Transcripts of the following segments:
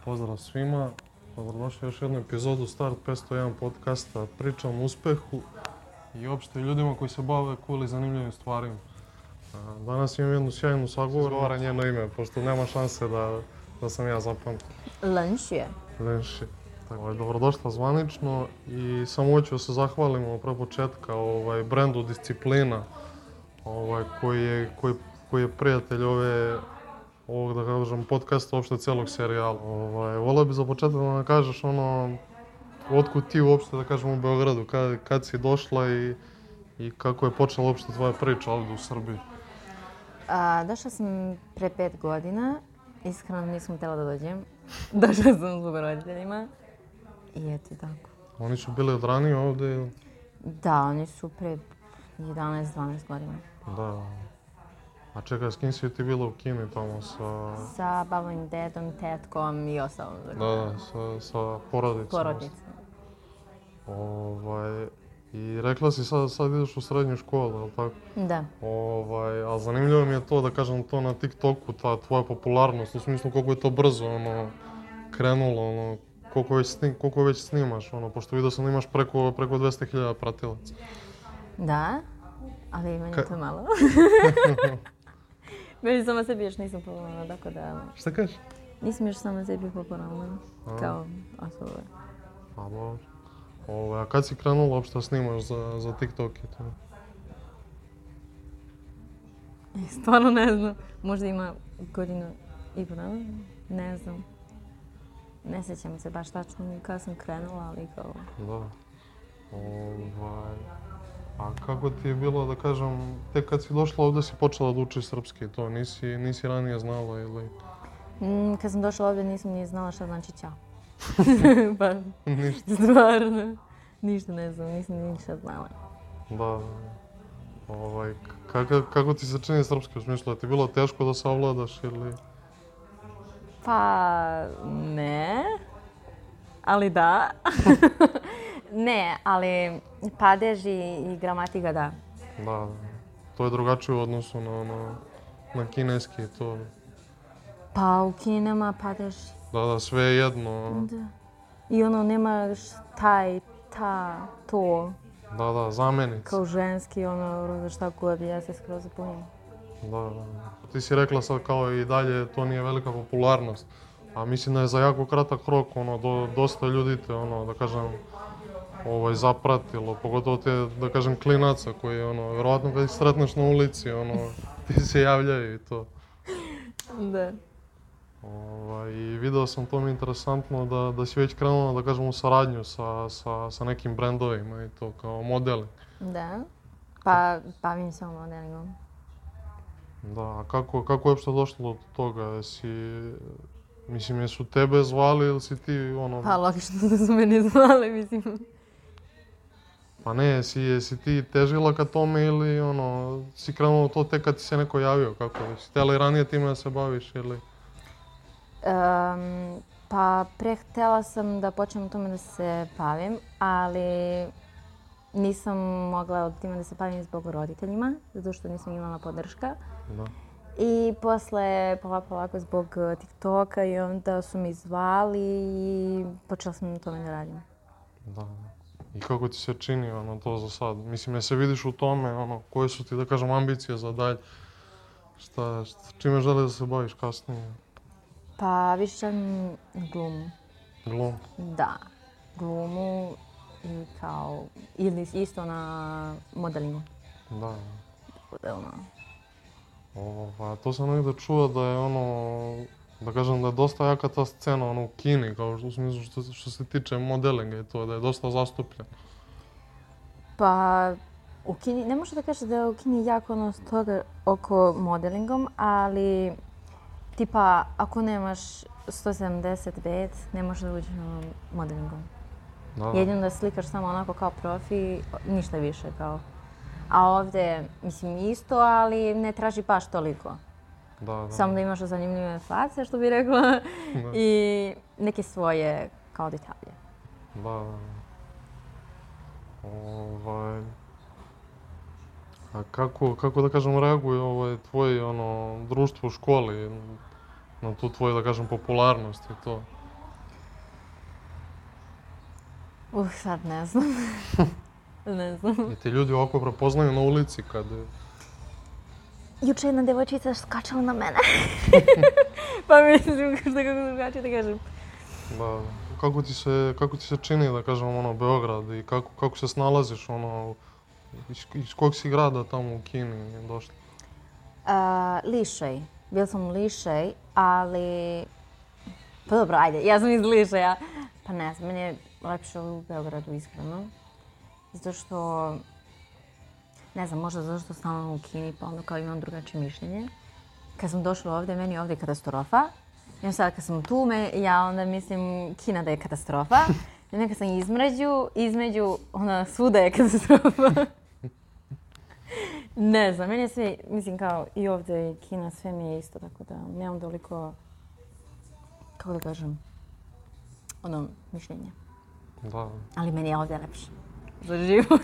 Pozdrav svima, dobrodošli u još jednu epizodu Start 501 podcasta. Pričam o uspehu i uopšte ljudima koji se bave cool i zanimljivim stvarima. Danas imam jednu sjajnu sagovornicu. Izgovara njeno ime, pošto nema šanse da sam ja zapamtio. Lenši. Dobrodošla zvanično i samo hoću da se zahvalimo pre početka brendu Disciplina, koji je prijatelj ovog, da kažem, podcasta, uopšte celog serijala. Volio bi za početak da nam kažeš otkud ti uopšte, da kažem, u Beogradu, kad si došla i kako je počela uopšte tvoja priča ovdje u Srbiji? Došla sam pre 5 godina. Iskreno nisam htjela da dođem. Došla sam zbog roditeljima. I eto tako. Oni su bili od ranije ovdje ili? Da, oni su pre 11-12 godina. Da. A čekaj, s kim si ti bila u Kini tamo Sa babom, dedom, tetkom i ostalom. Da, sa porodicom. Porodicom. I rekla si sad ideš u srednju školu, je li tako? Da. A zanimljivo mi je to, da kažem, to na TikToku, ta tvoja popularnost, u smislu koliko je to brzo krenulo, koliko već snimaš, pošto vidio sam da imaš preko 200.000 pratilaca. Da, ali meni je to malo. Meni sama sebi još nisam popularna, tako da... Šta kažeš? Nisam još sama sebi popularna, kao osoba. A dobro. A kad si krenula uopšte da snimaš za TikTok i to? Stvarno ne znam. Možda ima godinu i po dana, ne znam. Ne sjećam se baš tačno kada sam krenula, ali kao... Da. A kako ti je bilo, da kažem, tek kad si došla ovdje si počela da učiš srpski, to nisi ranije znala ili... Kad sam došla ovdje nisam ni znala šta znači ćao. Pa, ništa. Stvarno. Ništa ne znam, nisam ništa znala. Da. Kako ti se čini srpski u smislu? Je ti bilo teško da savladaš ili... Pa, ne. Ali da. Ne, ali padež i gramatika da. Da, to je drugačije u odnosu na kineski to. Pa u Kini nema padež. Da, sve je jedno. Da. I nemaš taj, ta, to. Da, zamjenica. Kao ženski, šta god, ja se skroz zapunim. Da. Ti si rekla sad kao i dalje to nije velika popularnost. A mislim da je za jako kratak rok, dosta ljudi te, da kažem, zapratilo, pogotovo te, da kažem, klinaca koji, vjerovatno kad ih sretneš na ulici, ti se javljaju i to. Da. I video sam to mi interesantno da si već krenula, da kažem, u saradnju sa nekim brendovima i to, kao modeling. Da, pa bavim se modelingom. Da, a kako je uopšte došlo do toga? Mislim, jesu tebe zvali ili si ti, Pa logično da su mene zvali, mislim. Pa ne, jesi ti težila ka tome ili, si krenula to tek kad ti se neko javio, kako? Si htjela i ranije time da se baviš ili? Pa htjela sam da počnem tome da se bavim, ali nisam mogla time da se bavim zbog roditeljima, zato što nisam imala podrška. Da. I posle polako zbog TikToka i onda su mi zvali i počela sam na tome da radim. Da. I kako ti se čini to za sad? Mislim, je se vidiš u tome, koje su ti, da kažem, ambicije za dalje? Čime želiš da se baviš kasnije? Pa više želim glumu. Glumu? Da, glumu i kao, ili isto na modelingu. Da. Bude To sam negdje čuo da je da kažem da je dosta jaka ta scena u Kini, kao u smislu što se tiče modelinga i to, da je dosta zastupljen. Pa, u Kini, ne možeš da kažeš da je u Kini jako toga oko modelingom, ali tipa ako nemaš 175, ne možeš da uđeš na modelingom. Da. Jedino da slikaš samo onako kao profi, ništa više kao. A ovdje, mislim, isto, ali ne traži baš toliko. Da. Samo da imaš zanimljive face, što bi rekla, i neke svoje kao detalje. Da. A kako da kažem reaguje tvoje društvo u školi na tu tvoju, da kažem, popularnost i to? Sad ne znam. Ne znam. I ti ljudi ovako prepoznaju na ulici kad... Juče jedna devojčica skačala na mene. Pa mislim, kako drugačije da kažem. Da, kako ti se čini, da kažem, ono, Beograd i kako se snalaziš, ono, iz kog si grada tamo u Kini došla? Lišej. Bil sam u Lišej, ali... Pa dobro, ajde, ja sam iz Lišeja. Pa ne znam, meni je lepše u Beogradu, iskreno. Zato što... Ne znam, možda zato što sam u Kini, pa onda kao imam drugačije mišljenje. Kad sam došla ovdje, meni je ovdje katastrofa. I onda sad kad sam tu, ja onda mislim Kina da je katastrofa. I onda kad sam između, onda svuda je katastrofa. Ne znam, meni je sve, mislim kao i ovdje i Kina, sve mi je isto, tako da nemam toliko, kako da kažem, ono, mišljenje. Da. Ali meni je ovdje lepše za život.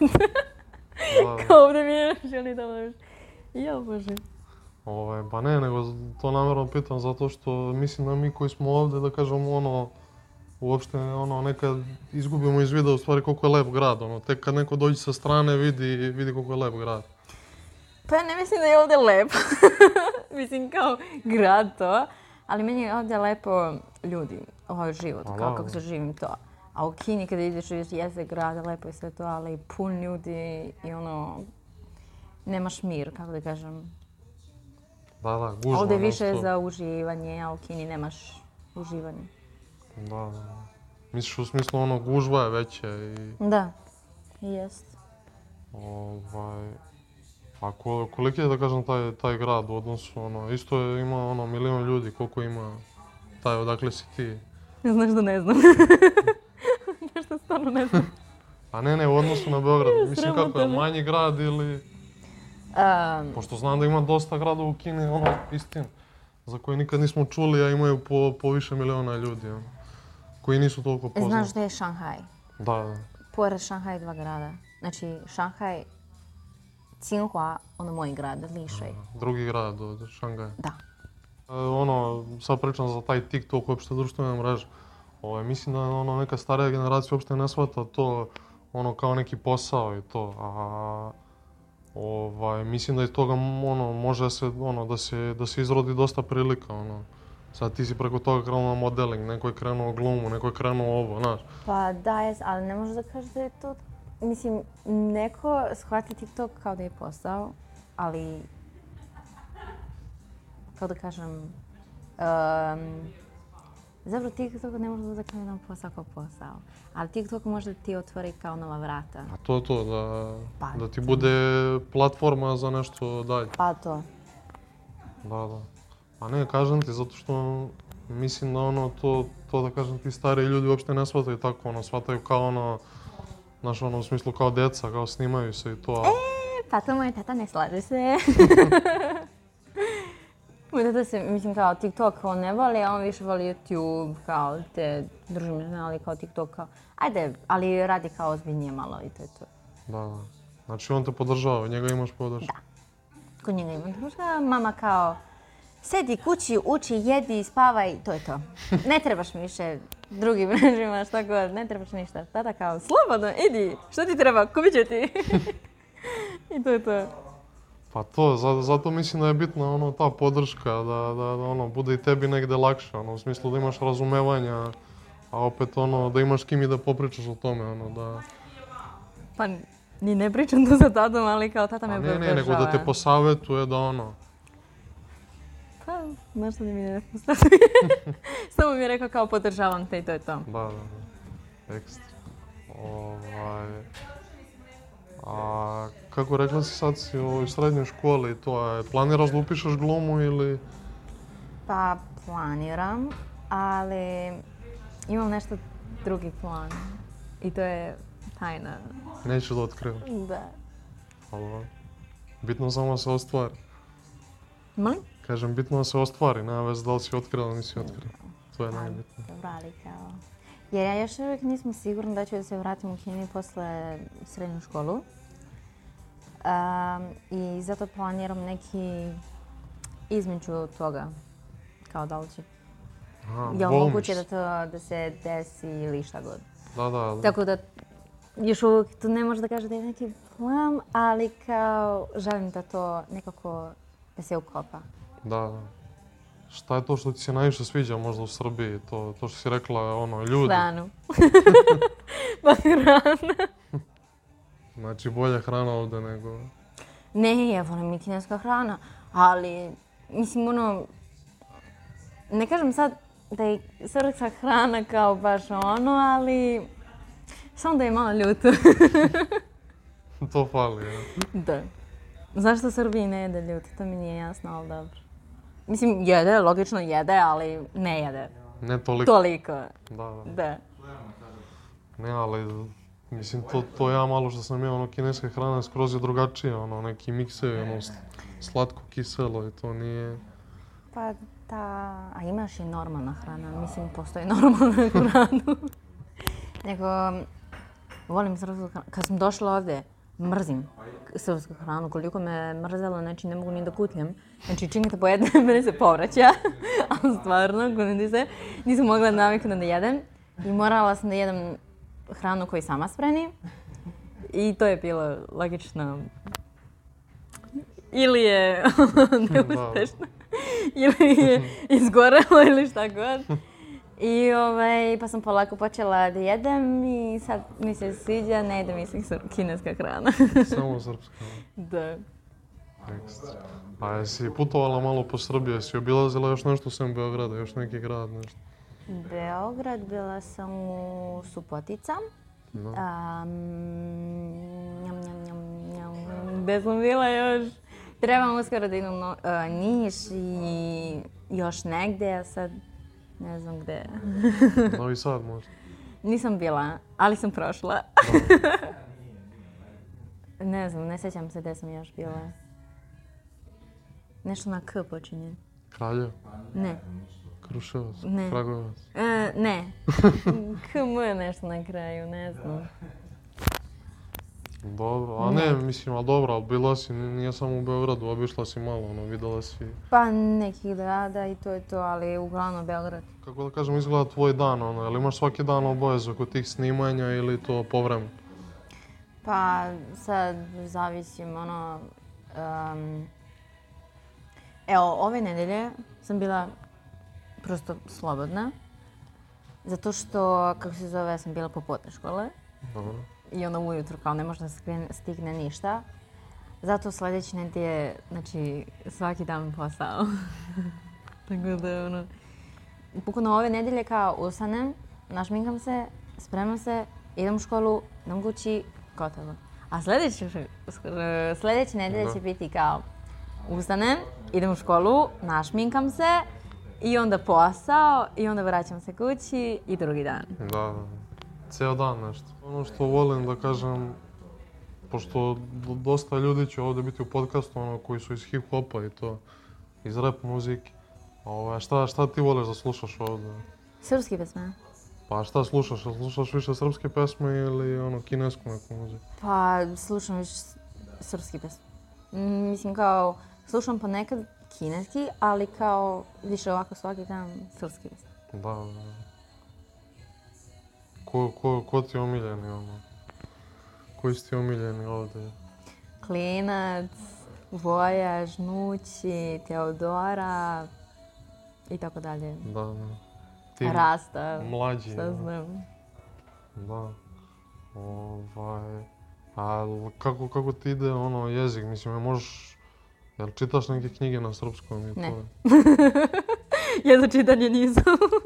Da. Kao ovdje mi je želi da lepše. Ja, Bože. Pa ne, nego to namjerno pitam zato što mislim da mi koji smo ovdje, da kažem, ono, uopšte ono, nekad izgubimo iz vida u stvari koliko je lep grad, ono, tek kad neko dođe sa strane vidi koliko je lep grad. Pa ja ne mislim da je ovdje lepo. Mislim kao grad to, ali meni je ovdje lepo ljudi, ovaj život, kao kako se živim to. A u Kini kada ideš vidiš jeste grad, lepo je sve to, ali pun ljudi i ono, nemaš mir, kako da kažem. Da, gužva. Ovdje više je za uživanje, a u Kini nemaš uživanje. Da. Misliš u smislu ono gužva je veća i... Da, jest. A koliki je, da kažem, taj grad u odnosu, ono, isto ima ono milion ljudi, koliko ima taj, odakle si ti? Znaš da ne znam. Nešto stvarno ne znam. A ne, u odnosu na Beograd, mislim kako je, manji grad ili... Pošto znam da ima dosta gradova u Kini, ono, istina, za koje nikad nismo čuli, a imaju po više miliona ljudi, ono, koji nisu toliko poznati. Znaš da je Šanghaj? Da. Pored Šanghaj 2 grada. Znači, Šanghaj, Tsinghua, ono moj grad, Lišej. Drugi grad od Šangaja. Da. Ono, sad pričam za taj TikTok, uopšte društvene mreže. Mislim da ono, neka starija generacija uopšte ne shvata to ono, kao neki posao i to. Mislim da iz toga ono, može se, ono, da se izrodi dosta prilika. Ono. Sad ti si preko toga krenuo na modeling, neko je krenuo glumu, neko je krenuo ovo, znaš. Pa da, ali ne možeš da kažeš da je to... Mislim, neko shvati TikTok kao da je posao, ali... Kako da kažem... Zapravo TikTok ne može da kaže jedan posao kao posao, ali TikTok može da ti otvori kao nova vrata. A to, da ti bude platforma za nešto dalje. Pa to. Da. A ne, kažem ti, zato što mislim da ono, to da kažem ti stariji ljudi uopšte ne shvataju tako, ono, shvataju kao ono, znaš, ono, u smislu kao deca, kao snimaju se i to. Pa to moj tata ne slaže se. Moj tata se, mislim, kao TikTok on ne voli, a on više voli YouTube, kao te družbene kanale kao TikTok, kao, ajde, ali radi kao ozbiljnije malo i to je to. Da. Znači on te podržava, njega imaš podršku. Da. Kod njega imam podršku, mama kao, sedi kući, uči, jedi, spavaj, to je to. Ne trebaš mi više drugim mrežima, šta god, ne trebaš ništa. Tata kao, slobodno, idi, što ti treba, kupit ću ti. I to je to. Pa to, zato mislim da je bitna ono, ta podrška, da ono, bude i tebi negde lakše, ono, u smislu da imaš razumevanja, a opet ono, da imaš s kim i da popričaš o tome, ono, da... Pa, ni ne pričam to sa tatom, ali kao tata me podržava. Ne, nego da te posavetuje da ono... Pa, znaš što mi ne posavetuje. Samo mi je rekao kao podržavam te i to je to. Da. Ekstra. A kako rekla si sad si u srednjoj školi, to planiraš da upišeš glumu ili... Pa planiram, ali imam nešto drugi plan i to je tajna. Neću da otkrivam. Da. Ali bitno samo da se ostvari. Molim? Kažem, bitno da se ostvari, nema veze da li si otkrila ili nisi otkrila. To je najbitnije. Dobro, ali kao... Jer ja još uvijek nisam sigurna da ću da se vratim u Kini posle srednju školu. I zato planiram neki između toga, kao da li će. Je moguće da to da se desi ili šta god. Da, da, ali... Tako da još uvijek tu ne može da kaže da je neki plan, ali kao želim da to nekako da se ukopa. Da. Šta je to što ti se najviše sviđa možda u Srbiji? To što si rekla, ono, ljudi. Hranu. Pa hrana. Znači, bolja hrana ovdje nego... Ne, ja volim i kineska hrana, ali mislim ono, ne kažem sad da je srpska hrana kao baš ono, ali samo da je malo ljuto. To fali, ja. Da. Zašto Srbiji ne jede ljuto, to mi nije jasno, ali dobro. Mislim, jede, logično jede, ali ne jede. Ne toliko. Toliko. Da. Da. Ne, ali... Mislim, to ja malo što sam imao, ono, kineska hrana skroz je drugačija, ono, neki miksevi, ono, slatko, kiselo i to nije... Pa da, a imaš i normalna hrana, mislim, postoji normalna hrana. Nego, volim srpsku hranu. Kad sam došla ovdje, mrzim srpsku hranu, koliko me mrzelo, znači ne mogu ni da kutljem. Znači, čim te pojedem, mene se povraća, ali stvarno, nisam mogla naviknuti da jedem. I morala sam da jedem hranu koju sama spremi. I to je bilo logično. Ili je neuspešno, ili je izgorelo ili šta god. I pa sam polako počela da jedem i sad mi se sviđa, ne jedem mislim kineska hrana. Samo srpska. Da. Ekstra. A jesi putovala malo po Srbiji, jesi obilazila još nešto sem Beograda, još neki grad, nešto? Beograd, bila sam u Subotica. No. Gde sam bila još? Trebam uskoro da idem u Niš i još negde, a sad ne znam gde. Novi Sad možda? Nisam bila, ali sam prošla. Ne znam, ne sjećam se gde sam još bila. Nešto na K počinje. Kraljevo? Ne. Kruševac? Ne. Kragujevac? Ne. KM nešto na kraju, ne znam. Dobro, a ne, mislim, ali dobro, ali bila si, nije samo u Beogradu, obišla si malo, ono, videla si... Pa nekih grada i to je to, ali uglavnom Beograd. Kako da kažem, izgleda tvoj dan, ono, jel imaš svaki dan obavezu kod tih snimanja ili to povremeno? Pa sad zavisim, ono... Evo, ove nedelje sam bila prosto slobodna. Zato što, kako se zove, sam bila popodne škole. Dobro. I onda ujutru kao ne može da stigne ništa. Zato sljedeće nedelje, znači svaki dan posao. Tako da ono... Bukvalno ove nedelje kao ustanem, našminkam se, spremam se, idem u školu, idem kući, gotovo. A sljedeće nedelje će biti kao ustanem, idem u školu, našminkam se i onda posao i onda vraćam se kući i drugi dan. Da. Cijel dan nešto. Ono što volim da kažem, pošto dosta ljudi će ovdje biti u podcastu, ono, koji su iz hip-hopa i to, iz rap muzike. Šta ti voliš da slušaš ovdje? Srpski pesme. Pa šta slušaš? Slušaš više srpske pesme ili ono, kinesku neku muziku? Pa slušam više srpski pesme. Mislim kao, slušam ponekad kineski, ali kao više ovako svaki dan srpski pesme. Da. Ko ti je omiljeni, ono? Koji si ti omiljeni ovdje? Klinac, Voja, Žnući, Teodora i tako dalje. Da. Rasta, mlađi. šta znam. Da. A kako ti ide ono jezik? Mislim, jel čitaš neke knjige na srpskom i to? Ne. Ja za čitanje nisam.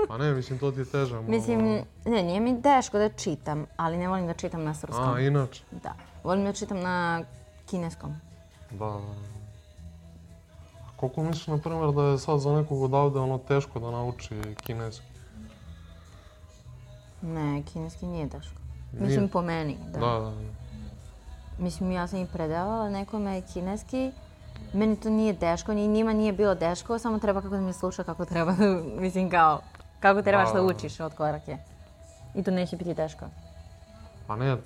Pa ne, mislim, to ti je teže. Mislim, ne, nije mi teško da čitam, ali ne volim da čitam na srpskom. A, inače? Da. Volim da čitam na kineskom. Da. Koliko misliš, na primjer, da je sad za nekog odavde ono teško da nauči kineski? Ne, kineski nije teško. Nije? Mislim, po meni, da. Da. Mislim, ja sam i predavala nekome kineski. Meni to nije teško, ni njima nije bilo teško, samo treba kako da me sluša, kako treba, mislim kao, kako trebaš da učiš od korake. I to neće biti teško. Pa ne,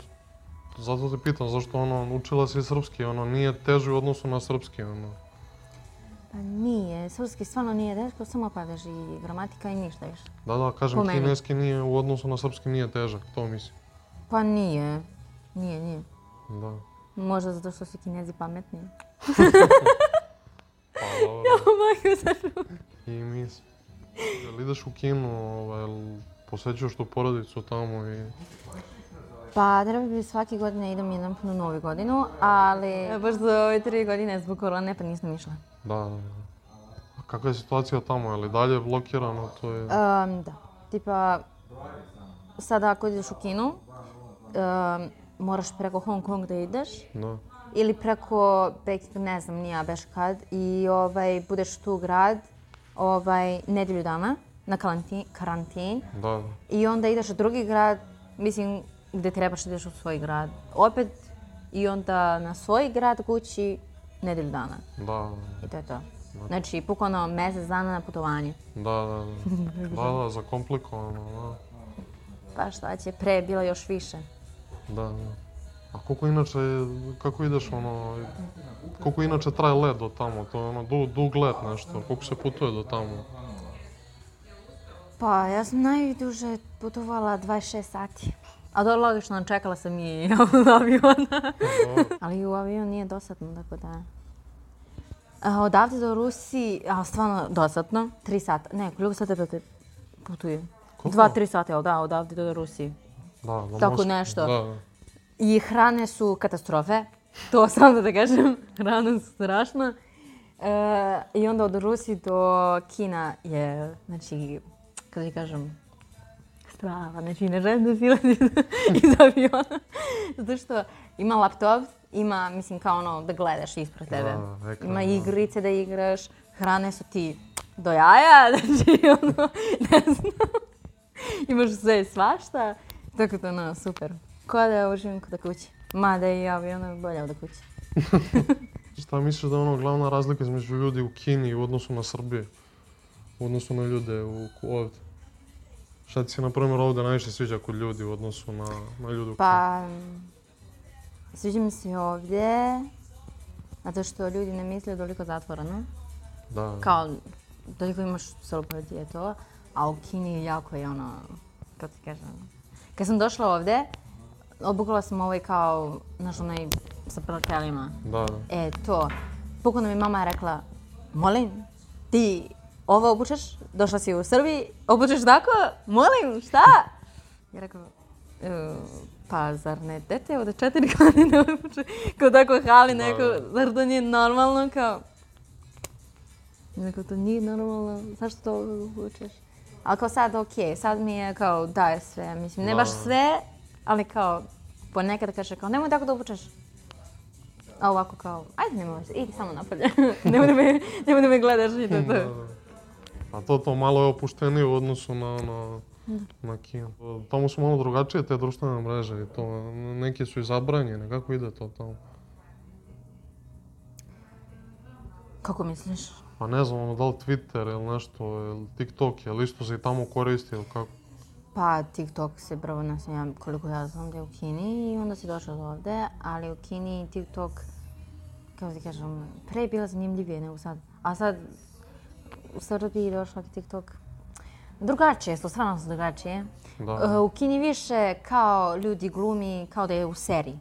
zato te pitam, zašto ono, učila si srpski, ono, nije teže u odnosu na srpski, ono. Pa nije, srpski stvarno nije teško, samo padaš i gramatika i ništa više. Da, kažem, Po meni. kineski nije, u odnosu na srpski nije težak, to mislim. Pa nije. Nije. Da. Možda zato što su Kinezi pametniji. Pa dobro. Majko, zašto? I mislim. Jel ideš u kino, jel posjećuješ tu porodicu tamo i... Pa treba bi svake godine idem jednom na Novu godinu, ali baš za ove 3 godine zbog korone pa nisam išla. Da. A kakva je situacija tamo, je li dalje blokirano, to je... Da, tipa sada ako ideš u kino, moraš preko Hong Kong da ideš. Da. Ili preko, ne znam, nija beš kad, i budeš tu grad nedjelju dana na karantin. Da. I onda ideš u drugi grad, mislim, gdje trebaš da ideš u svoj grad. Opet, i onda na svoj grad kući nedjelju dana. Da. I to je to. Znači, bukvalno mjesec dana na putovanje. Da, zakomplikovano, da. Pa šta će, pre je bilo još više. Da. A kako ideš koliko inače traje let do tamo? To je dug let nešto, koliko se putuje do tamo? Pa ja sam najduže putovala 26 sati. A to logično, čekala sam i aviona. Ali u avion nije dosadno, tako da... Odavde do Rusiji, stvarno dosadno, 3 sata. Ne, koliko sata putuje? 2-3 sata, da, odavde do Rusiji. Da, tako nešto. Da. I hrane su katastrofe, to samo da kažem, hrana su strašna. I onda od Rusije do Kina je, znači, kako ti kažem, strava, znači ne želim da silazim iz aviona. Zato što ima laptop, ima, mislim, kao ono da gledaš ispred tebe. Ima igrice da igraš, hrane su ti do jaja, znači ono, ne znam. Imaš sve i svašta, tako da super. Ko da uživim kod kući. Mada i avion bolje od kući. Šta misliš da je glavna razlika između ljudi u Kini u odnosu na Srbiju? U odnosu na ljude ovdje? Šta ti se, na primjer, ovdje najviše sviđa kod ljudi u odnosu na ljude u Kini? Pa, sviđa mi se ovdje, zato što ljudi ne misle toliko zatvoreno. Da. Kao, toliko imaš slobode i to, a u Kini jako je kako ti kažem. Kad sam došla ovdje, obukla sam kao, znaš, sa prkelima. Da. To. Bukvalno mi mama je rekla, molim, ti ovo obučeš, došla si u Srbiji, obučeš tako? Molim, šta? Ja rekao, pa zar ne dete od 4 godine obuče, kao tako hali neko, zar to nije normalno, kao... Rekao, to nije normalno, zašto to obučeš? Ali kao sad okej, sad mi je kao daje sve, mislim, ne baš sve, ali kao ponekad kaže kao nemoj tako da obučeš. A ovako kao, ajde nemoj, idi samo napolje, nemoj da me gledaš i to. A to malo je opuštenije u odnosu na Kinu. Tamo su malo drugačije te društvene mreže i to, neke su i zabranjene, kako ide to tamo? Kako misliš? Pa ne znam, da li Twitter ili nešto, ili TikTok, ili isto se i tamo koristi ili kako? Pa TikTok se prvo nasmija koliko ja znam da je u Kini i onda si došao do ovdje, ali u Kini TikTok, kako ti kažem, pre je bila zanimljivije nego sad. A sad u Srbiji došla TikTok. Drugačije su, stvarno su drugačije. U Kini više kao ljudi glumi kao da je u seriji.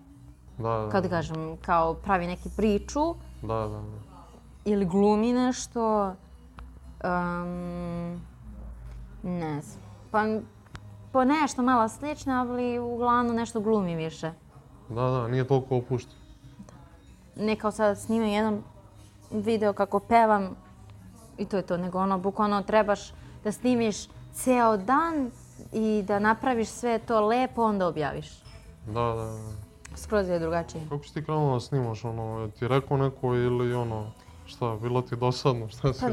Kako ti kažem, kao pravi neki priču. Da. Ili glumi nešto, ne znam, pa nešto malo slično, ali uglavnom nešto glumi više. Da, nije toliko opušten. Ne kao sad snimam jedan video kako pevam i to je to, nego bukvalno trebaš da snimiš ceo dan i da napraviš sve to lepo, onda objaviš. Da. Skroz je drugačije. Kako si ti krenula da snimaš, ti rekao neko ili šta, bilo ti dosadno, šta si?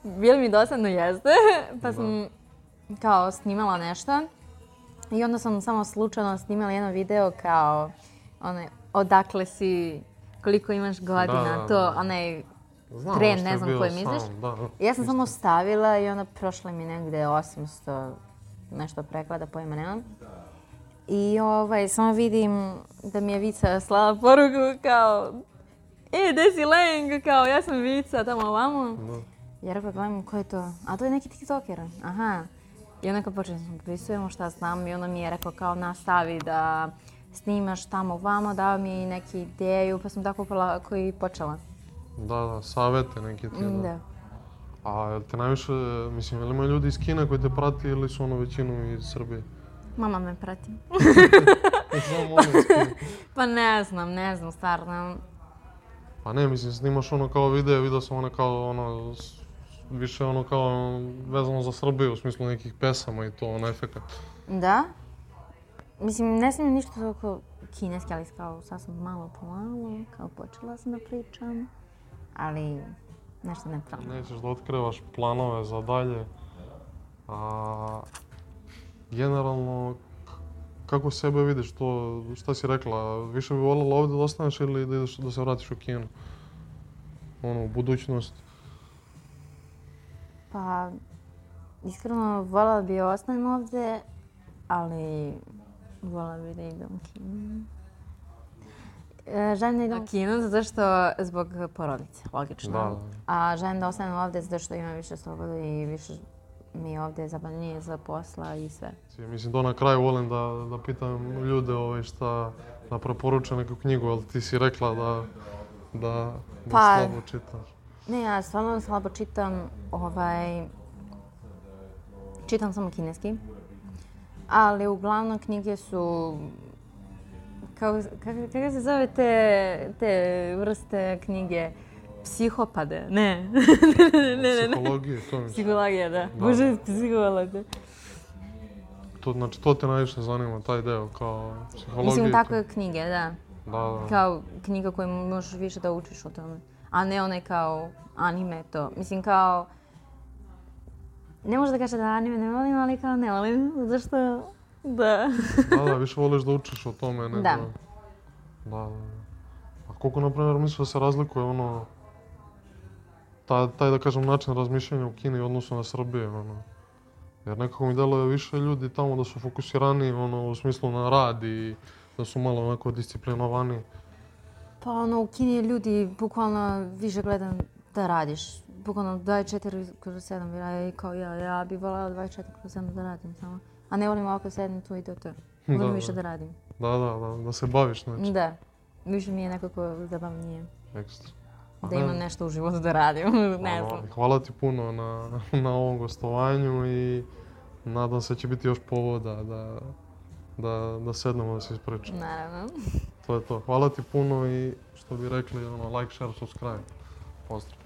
Bilo mi dosadno, jeste, pa sam kao snimala nešto i onda sam samo slučajno snimala jedan video kao odakle si, koliko imaš godina, to onaj trend, ne znam koji misliš. Ja sam samo stavila i onda prošlo mi negdje 800 nešto preklada, pojma nemam. I samo vidim da mi je Vica slala poruku kao gde si Leng, kao ja sam Vica, tamo ovamo. Da. Ja rekla, gledam, ko je to? A to je neki tiktoker. Aha. I onda kao počeli smo dopisujemo šta znam i onda mi je rekao kao nastavi da snimaš tamo ovamo, dao mi neki ideju, pa sam tako polako i počela. Da, savete neke ti. Da. A jel te najviše, mislim, jel ima ljudi iz Kine koji te prati ili su većinu iz Srbije? Mama me prati. Samo ono iz Kine. Pa ne znam, stvarno. Pa ne, mislim, snimaš kao vidio sam kao više kao vezano za Srbiju u smislu nekih pesama i to, efekat. Da. Mislim, ne snimam ništa toliko kineski, ali kao sad sam malo po malo, kao počela sam da pričam, ali nešto ne pravim. Nećeš da otkrivaš planove za dalje. A generalno, kako sebe vidiš to, šta si rekla, više bi voljela ovdje da ostaneš ili da ideš da se vratiš u Kinu? U budućnost? Pa, iskreno voljela bi ostanem ovdje, ali voljela bi da idem u Kinu. Želim da idem u Kinu zato što zbog porodice, logično. Da. A želim da ostanem ovdje zato što imam više slobode i više mi je ovdje zabavnije za posla i sve. Mislim, to na kraju volim da pitam ljude šta da preporuče neku knjigu, ali ti si rekla da slabo čitaš. Ne, ja stvarno slabo čitam, čitam samo kineski, ali uglavnom knjige su, kako se zove te vrste knjige? Psihopade, ne. Psihologije, to mislim. Psihologija, da. Bože, psihologija. Znači, to te najviše zanima, taj deo, kao psihologija. Mislim, takve knjige, da. Da. Kao knjiga koju možeš više da učiš o tome. A ne onaj kao anime to. Mislim, kao... Ne možeš da kažeš da anime ne volim, ali kao ne volim, zašto... Da. Da, više voliš da učiš o tome nego... Da. Da. A koliko, na primjer, misliš da se razlikuje taj, da kažem, način razmišljanja u Kini u odnosu na Srbiju, Jer nekako mi deluje više ljudi tamo da su fokusirani, u smislu na rad i da su malo onako disciplinovani. Pa u Kini ljudi bukvalno više gledam da radiš. Bukvalno 24/7, kao ja bih voljela 24/7 da radim samo. A ne volim ovako sedim tu i to. Volim više da radim. Da se baviš znači. Da. Više mi je nekako zabavnije. Ekstra. Da imam nešto u životu da radim, ne znam. Hvala ti puno na ovom gostovanju i nadam se da će biti još povoda da sednemo da se ispričamo. Naravno. To je to. Hvala ti puno i što bi rekli, like, share, subscribe. Pozdrav.